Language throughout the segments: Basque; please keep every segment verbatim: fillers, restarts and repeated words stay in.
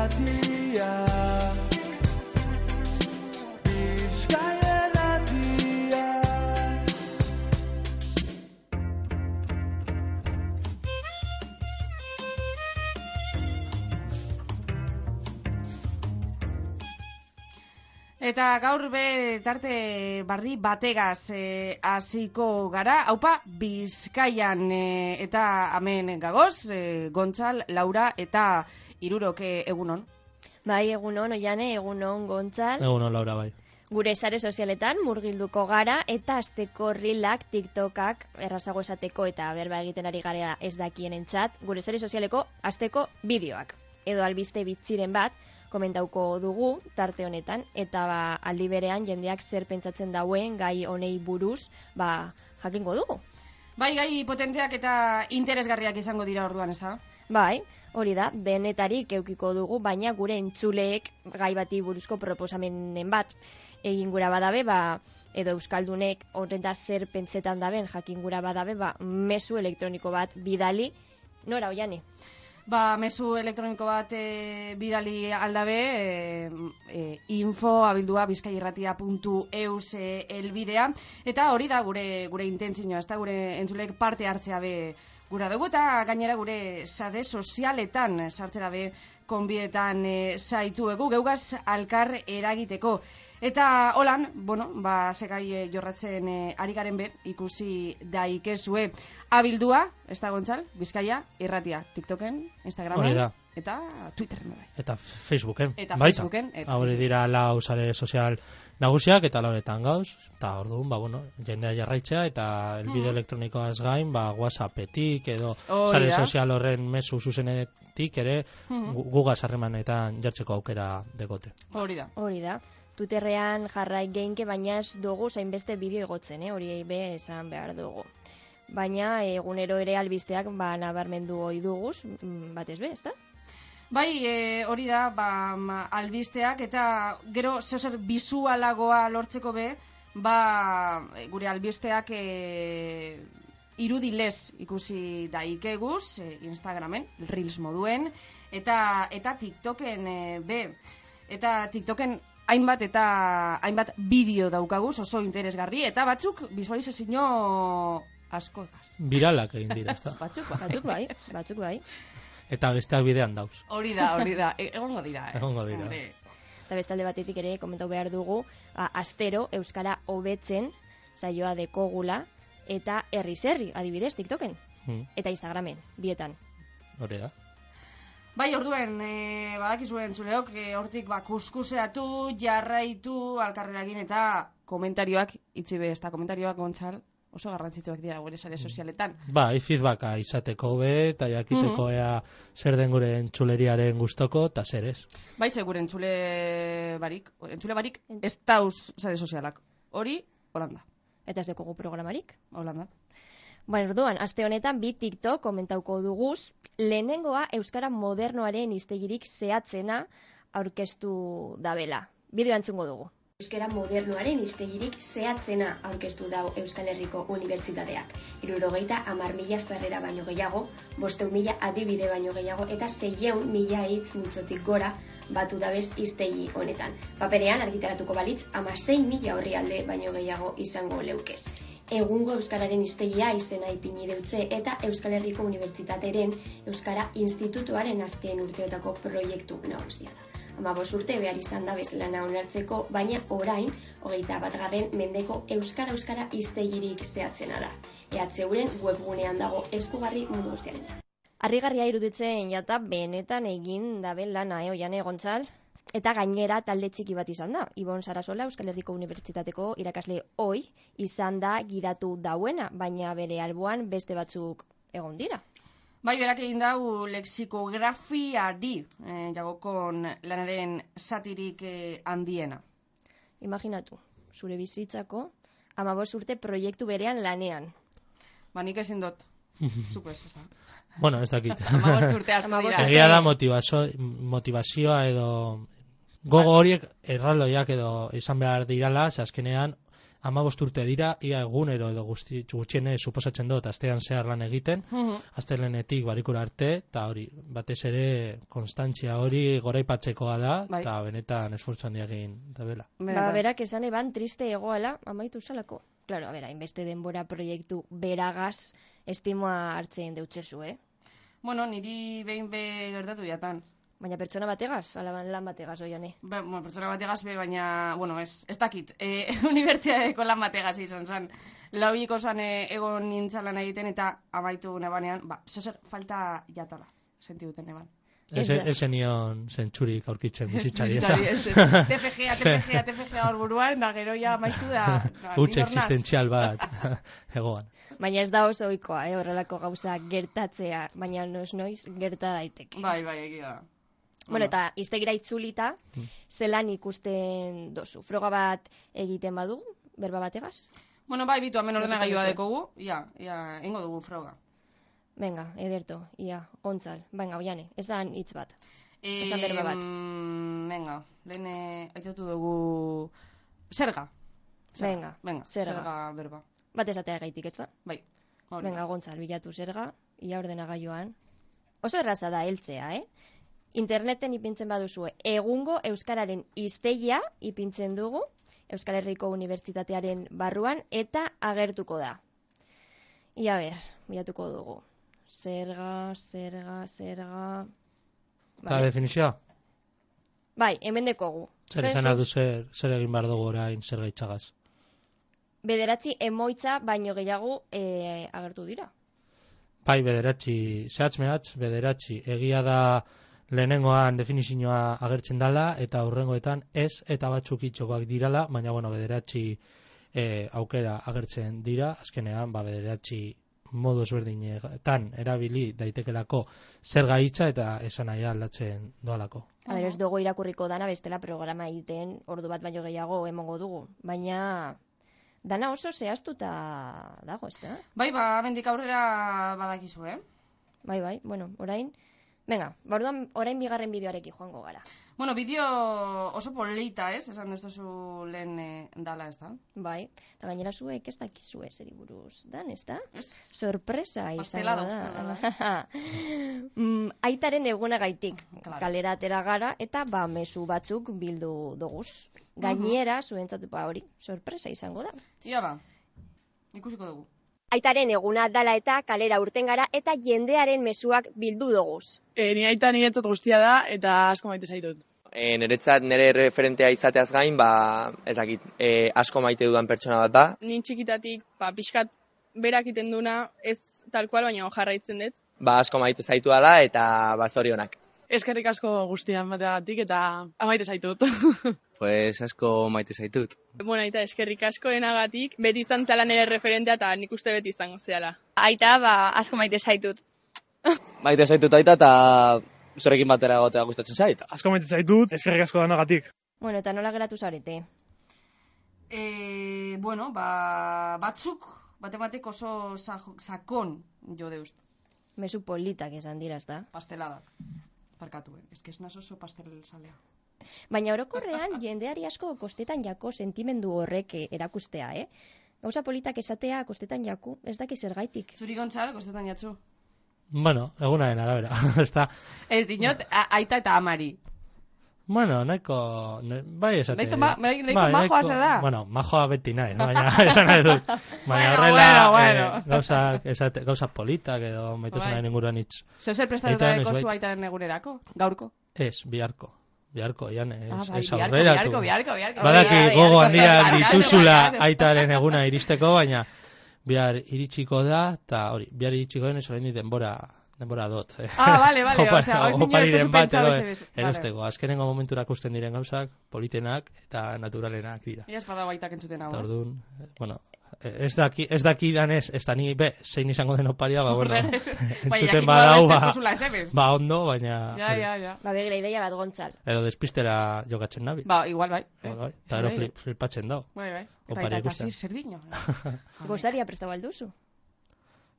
irratia, Bizkaia irratia. Eta gaur be tarte barri bategaz eh, hasiko gara, haupa Bizkaian eh, eta hemen gagoz, eh, Gontzal, Laura eta Irurok eh, egunon. Bai, egunon, Oiane, egunon, Gontzal. Egunon, Laura, bai. Gure sare sozialetan murgilduko gara eta asteko rilak, tiktokak, errazago esateko eta berba egiten ari gara ez dakienentzat, gure sare sozialeko asteko bideoak. Edo albiste bitziren bat, komentauko dugu tarte honetan, eta ba, aldi berean jendeak zer pentsatzen dauen gai honei buruz, ba, jakingo dugu. Bai, gai potenteak eta interesgarriak izango dira orduan, ez da? Bai, hori da, denetarik eukiko dugu, baina gure entzuleek gai bati buruzko proposamenen bat egin gura badabe, ba, edo euskaldunek horreta zer pentsetan daben jakin gura badabe, ba, mezu elektroniko bat bidali, nora, Oiane? Ba, mezu elektroniko bat e, bidali aldabe, e, e, info abildua bizkairratia puntu eus e, elbidea, eta hori da gure gure intentzioa, ez da gure entzulek parte hartzea be gura dugu, eta gainera gure sare sozialetan sartzera be konbietan e, zaituegu, geugaz alkar eragiteko. Eta holan, bueno, ba, segai e, jorratzen e, ari garen be, ikusi daikezue abildua, ez da Gontzal, Bizkaia, irratia, TikToken, Instagramen, eta Twitterren. Eta Facebooken, eta baita. Facebooken. Hori dira lau sare sozial nagusiak, eta lauretan gauz, eta orduan, ba, bueno, jendea jarraitzea, eta elbide mm. elektronikoaz gain, ba, WhatsAppetik, edo sare sozial horren mezu zuzenetik, ere, mm. gugaz harremanetan jartzeko aukera degote. Hori da. Hori da. Twitterrean jarrai geinke, baina ez dugu zainbeste bideo igotzen, eh? Hori be esan behar dugu. Baina egunero ere albisteak ba, nabarmendu ohi duguz, batez be, ezta? Bai, e, hori da, ba, albisteak, eta gero zeozer bizualagoa lortzeko be, ba, gure albisteak e, irudilez ikusi daikeguz, e, Instagramen, Reels moduen, eta, eta TikToken e, be, eta TikToken hainbat eta hainbat bideo daukaguz oso interesgarri, eta batzuk visualizazio asko egaz. Viralak egin dira, ezta? batzuk, batzuk bai, batzuk bai. Eta besteak bidean dauz. Hori da, hori da, e egongo dira. Eh? Egongo dira. Eta bestalde batetik ere komentau behar dugu, a, astero Euskara hobetzen saioa dekogula, eta herri-herri, adibidez, TikToken, hmm. eta Instagramen, bietan. Hori da. Bai, orduen, e, badakizuen zuleok, e, hortik ba, kuskuseatu, jarraitu, alkarreragin eta komentarioak, itzi be, ez da komentarioak, Gontzal, oso garrantzitsuak dira gure sare sozialetan. Ba, feedbacka izateko be, eta jakiteko mm-hmm. ea zer den gure entzuleriaren gustoko, eta zer ez. Bai, ze gure entzule barik, entzule barik, ez dauz sare sozialak. Hori, Holanda. Eta ez dekogu programarik? Holanda. Bueno, orduan, aste honetan bi TikTok komentauko duguz, lehenengoa Euskara modernoaren hiztegirik zehatzena aurkeztu dabela. Bideo antzungo dugu. Euskara modernoaren hiztegirik zehatzena aurkeztu dau Euskal Herriko Unibertsitateak. Hirurogeita hamar mila zarrera baino gehiago, bostehun mila adibide baino gehiago, eta seiehun mila hitz multzotik gora batu dabez hiztegi honetan. Paperean argitaratuko balitz, hamasei mila orrialde baino gehiago izango leukez. Egungo Euskararen hiztegia izena ipini deutze eta Euskal Herriko Unibertsitateren Euskara Institutuaren azken urteotako proiektu nagusia da. Hamabost urte behar izan da bezlana onartzeko, baina orain, hogeita batgarren mendeko Euskara-Euskara hiztegirik zehatzena da. E H Euren webgunean dago eskugarri mundu guztiarentzat. Harrigarria iruditzen jata benetan egin daben lana, eh, Oiane, Gontzal? Eta gainera talde txiki bat izan da. Ibon Sarasola, Euskal Herriko Unibertsitateko irakasle oi izan da gidatu dauena, baina bere alboan beste batzuk egon dira. Bai, berak egin dau lexikografiari eh, jagokon lanaren zatirik eh, handiena. Imaginatu, zure bizitzako hamabost urte proiektu berean lanean. Ba, nik ezin dut. Zuko ez, ez da. Bueno, ez dakit. hamabost urte asko dira. Egia da motivazio, motivazioa edo gogo horiek erraldoiak edo izan behar dirala, ze azkenean hamabost urte dira, ia egunero edo guzti, gutxiene suposatzen dut, astean zehar lan egiten, Mhm. astelenetik barikura arte, eta hori, batez ere, konstantzia hori goraipatzekoa da, Bai. eta benetan esfortzu handia egin da bela. Ba, berak esan eban triste egoala amaitu salako. Claro, a bera, inbeste denbora proiektu beragaz estimoa hartzen deutzezu, eh? Bueno, niri behin be gertatu jatan. Baina pertsona bategaz, ala lan bategaz, oiane. Ba, bueno, pertsona bategaz be, baina, bueno, ez, ez dakit. E, Unibertsitateko lan bategaz izan zen. Lauiko zan e, egon nintzalan egiten eta amaitu nebanean, ba, zozer falta jatala, senti duten eban. Ez, Ez da. ez zenion zentsurik aurkitzen bizitzari, ez da? Bizitzari, ez, ez. T F G-a, T F G-a, T F G-a hor buruan, da gero ja amaitu da. da, Huts ni nor naz. existentzial bat egoan. Baina ez da oso ohikoa, eh, horrelako gauza gertatzea, baina noiz noiz gerta daiteke. Bai, bai, egia da. Bueno, eta iztegira itzulita, zelan ikusten dozu. Froga bat egiten badu, berba bategaz? Bueno, bai, bitu, hemen ordenagailua Gertatu dekogu, ja, ja, ingo dugu froga. Venga, ederto, ia, gontzal. Venga, oiane, esan hitz bat. E, Esan berba bat. Venga, lehen eh, aitatu dugu zerga. Venga, venga, zerga. zerga berba. Bat esatea gaitik, ez da? Bai, hori. Venga, gontzal, bilatu zerga, ia ordenagailuan. Oso erraza da heltzea, eh? Interneten ipintzen baduzue, egungo euskararen hiztegia ipintzen dugu, Euskal Herriko Unibertsitatearen barruan, eta agertuko da. Ia ber, bilatuko dugu. Zerga, zerga, zerga... Eta definizioa? Bai, hemen dekogu. Zer izan du zer, zer egin behar dugu orain zer gaitzagaz? Bederatzi emoitza baino gehiago e, agertu dira. Bai, bederatzi, zehatz mehatz, bederatzi. Egia da lehenengoan definizioa agertzen dala, eta hurrengoetan ez, eta batzuk itxokoak dirala, baina, bueno, bederatzi e, aukera agertzen dira, azkenean, ba, bederatzi modu ezberdinetan erabili daitekelako zer gaitza eta esan nahi aldatzen doalako. A ber, ez dugu irakurriko dana, bestela programa egiten ordu bat baino gehiago emongo dugu. Baina, dana oso zehaztuta dago, ez da? Bai, ba, mendik aurrera badakizu, eh? Bai, bai, bueno, orain... Venga, orduan orain bigarren bideoarekin joango gara. Bueno, bideo oso polita, ez? Esan duzu lehen eh, dala, ez da? Bai, eta gainera zuek ez dakizue zeri buruz dan, ez da? Ez? Sorpresa Pastela izango dauzkala, da. mm, aitaren egunagaitik Claro. kalera atera gara eta ba mezu batzuk bildu doguz. Gainera, zuentzat ba hori, sorpresa izango da. Ia ba, ikusiko dugu. Aitaren eguna dala eta kalera urten gara eta jendearen mezuak bildu doguz. E, ni aita niretzat guztia da eta asko maite zaitut. E, niretzat nire referentea izateaz gain, ba, ezakit, e, asko maite dudan pertsona bat da. Ni txikitatik, ba, pixkat berak iten duna, ez tal kual, baina jarraitzen dut. Ba, asko maite zaitu dala eta ba, zorionak. Eskerrik asko guztian bateagatik eta amaite zaitut. Pues asko maite zaitut. Bueno, aita, eskerrik asko enagatik, beti izan zela nire referentea eta nik uste beti izango zeala. Aita, ba, asko maite zaitut. Maite zaitut aita eta zurekin batera egotea gustatzen zait. Asko maite zaitut, eskerrik asko danagatik. Bueno, eta nola geratu zarete? E, bueno, ba, batzuk, bate batek oso sa- sakon jo deust. Mezu politak esan dira, ezta? Pasteladak. Parkatuen. Ez que ez naz oso pastel salea. Baina orokorrean jendeari asko kostetan jako sentimendu horrek eh, erakustea, eh? Gauza politak esatea kostetan jaku, ez daki zergaitik. Zuri gontzal, kostetan jatzu. Bueno, egunaren arabera, ez da. Ez dinot, a- aita eta amari. Bueno, nahiko, ne, bai esate. Nahiko ma- nahiko majoa zara. Bueno, majoa beti nahi, no? Baina esan nahi dut. Baina Bueno, horrela, bueno, bueno. Eh, gauzak, esate, gauzak politak edo maitasunaren Bai. inguruan hitz. Zer prestatuta Aitaren ez deko bai. zu aitaren egunerako? Gaurko? Ez, biharko. Biharko, jan, ez, Ah, bai, ez biharko, aurreratu. biharko, biharko, biharko. Badaki Biharko, gogo biharko, handia biharko, dituzula biharko. aitaren eguna iristeko, baina bihar iritsiko da, eta hori, bihar iritsiko denez oraindik denbora denbora dot. Eh. Ah, vale, vale, Opa- osea, hoy niño opariren esto bat pensado edo ese beso. Vale. erosteko. Azkenengo momentura ikusten diren gauzak, politenak eta naturalenak dira. Ia espada baitak entzuten hau. Eta eh? orduan, eh, bueno, ez daki, ez daki danez, ez da ni be, zein izango den oparia, ba, bueno, Baina entzuten jakiko badau, beste ba, kusula esebes. ba, ondo, baina, Ja, ja, ja. Ba, begira ideia bat gontzal. edo despistera jokatzen nabil. Ba, igual bai. eh? Bai, bai, eta gero Bai, flip, flipatzen dau. Bai, bai. Eta Oparia eta ikusten. zir, zer dino. Gozaria prestatu alduzu.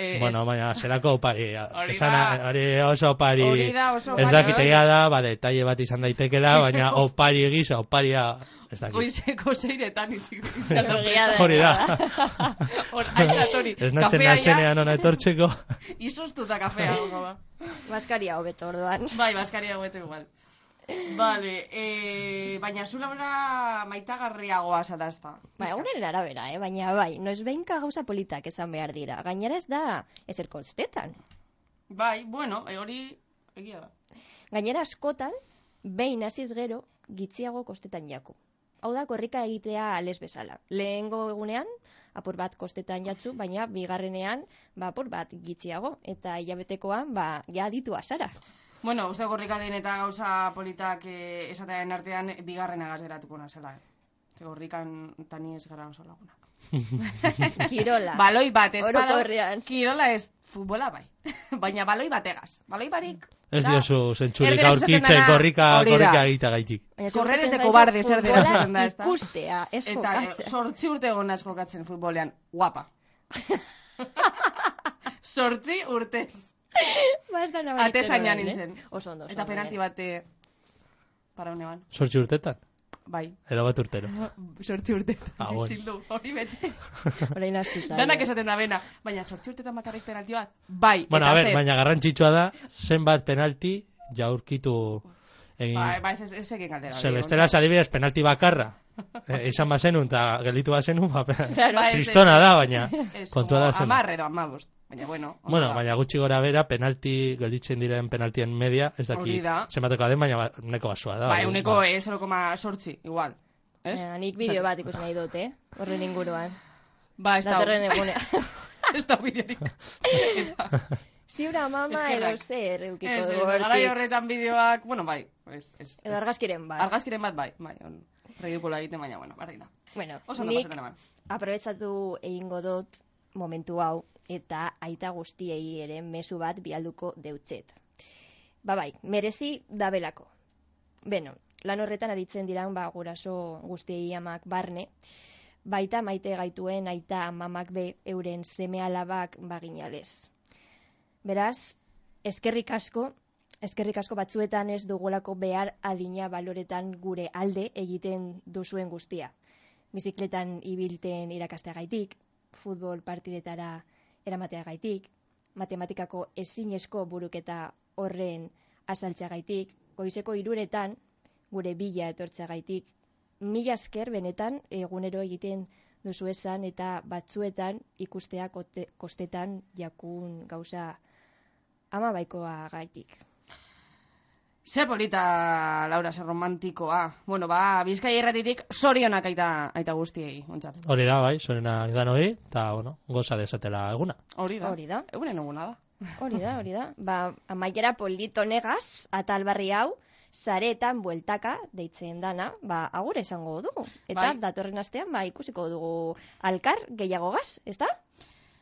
Eh, bueno, es... baina, zerako opari. Hori Esan, da. hori oso opari. Hori da oso opari. Ez dakitea da, ba, detalle bat izan daitekela, baina opari egisa, oparia, ez dakit. Goizeko seiretan itxiko. Hori da. Hori, ez natzen nazenean ona etortzeko. Izostuta kafea, gongo da. Baskaria hobeto orduan. Bai, baskaria hobeto igual. Vale, eh, baina zu labora maitagarriagoa zara ez da. Bai, unen arabera, eh? Baina bai, noiz behinka gauza politak esan behar dira. Gainera ez da, ezer kostetan. Bai, bueno, e, hori egia da. Gainera askotan, behin hasiz gero, gitziago kostetan jaku. Hau da, korrika egitea ales bezala. Lehengo egunean, apur bat kostetan jatzu, baina bigarrenean, ba, apur bat gitziago. Eta hilabetekoan, ba, ja ditu azara. Bueno, uste gorrika den eta gauza politak eh, esatearen artean bigarren agaz geratuko nazela. Eh. Gorrikan tani ez gara oso lagunak. Kirola. Baloi bat, ez bada. Orokorrean. Kirola ez, futbola bai. Baina baloi bat egaz. Baloi barik. Ez diozu zentzurik aurkitzen gorrika, gorrika egita gaitik. Korrer ez de kobarde zer dira zaten da, ez da? Ikustea, ez jokatzen. Eta sortzi urte egon az jokatzen futbolean. Guapa. Sortzi urtez. Ate zainan nintzen. Oso ondo. Eta penalti bate para uneban. Sortzi urtetan? Bai. Edo bat urtero? Sortzi urtetan. Ah, bueno. Zildu, hori bete. Horain astu zai. Danak esaten da bena. Baina sortzi urtetan bakarrik penalti bat? Bai. Bueno, a ver, baina garrantzitsua da, zenbat penalti jaurkitu egin. Bai, bai, ez egin galdera. Celesteraz adibidez penalti bakarra. Eh, izan bazenun eta gelitu bazenun, ba, claro, kristona da, baina kontua da zen. Amar edo amabost, baina bueno. Bueno, baina gutxi gora bera, penalti, gelditzen diren penaltien media, ez daki zenbateko den, baina neko basua da. Bai, uneko ba. zero koma sortzi, igual. Ez? Ja, nik bideo bat ikusi nahi dut, eh? Horren inguruan. Ba, ez da. Datorren egunea. Ez da bideorik. Ziura mama edo zer eukiko du. Ez, garai horretan bideoak, bueno, bai. Edo argazkiren bat. Argazkiren bat, bai, bai. Ridikula egiten, baina, bueno, barri da. Bueno, oso nik aprobetsatu egingo dut momentu hau eta aita guztiei ere mezu bat bialduko deutzet. Ba bai, merezi dabelako. Beno, lan horretan aritzen diran ba, guraso guztiei amak barne, baita maite gaituen aita mamak be euren seme alabak baginalez. Beraz, eskerrik asko, Eskerrik asko batzuetan ez dugulako behar adina baloretan gure alde egiten duzuen guztia. Bizikletan ibilten irakasteagaitik, futbol partidetara eramateagaitik, matematikako ezinezko buruketa horren azaltzeagaitik, goizeko hiruretan gure bila etortzeagaitik, mila esker benetan egunero egiten duzu esan eta batzuetan ikustea kostetan jakun gauza ama baikoa gaitik. Ze polita, Laura, ze romantikoa. Bueno, ba, Bizkaia irratitik sorionak aita, aita guztiei, ontzat. Hori da, bai, sorionak dan hori, eta, bueno, goza desatela eguna. Hori da. Hori da. Egunen eguna da. Hori da, hori da. Ba, amaiera polito negaz, atal barri hau, zaretan bueltaka deitzen dana, ba, agur esango dugu. Eta bai. Datorren astean, ba, ikusiko dugu alkar gehiago gaz, ez da?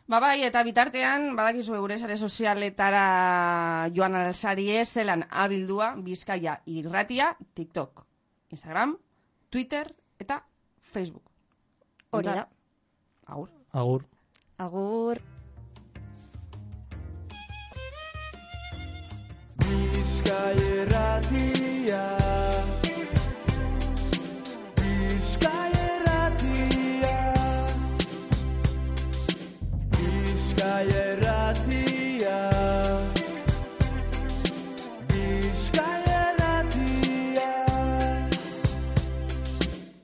Ba bai, eta bitartean, badakizu gure sare sozialetara joan alzarie zelan abildua Bizkaia irratia, TikTok, Instagram, Twitter eta Facebook. Hori da. Agur. Agur. Agur.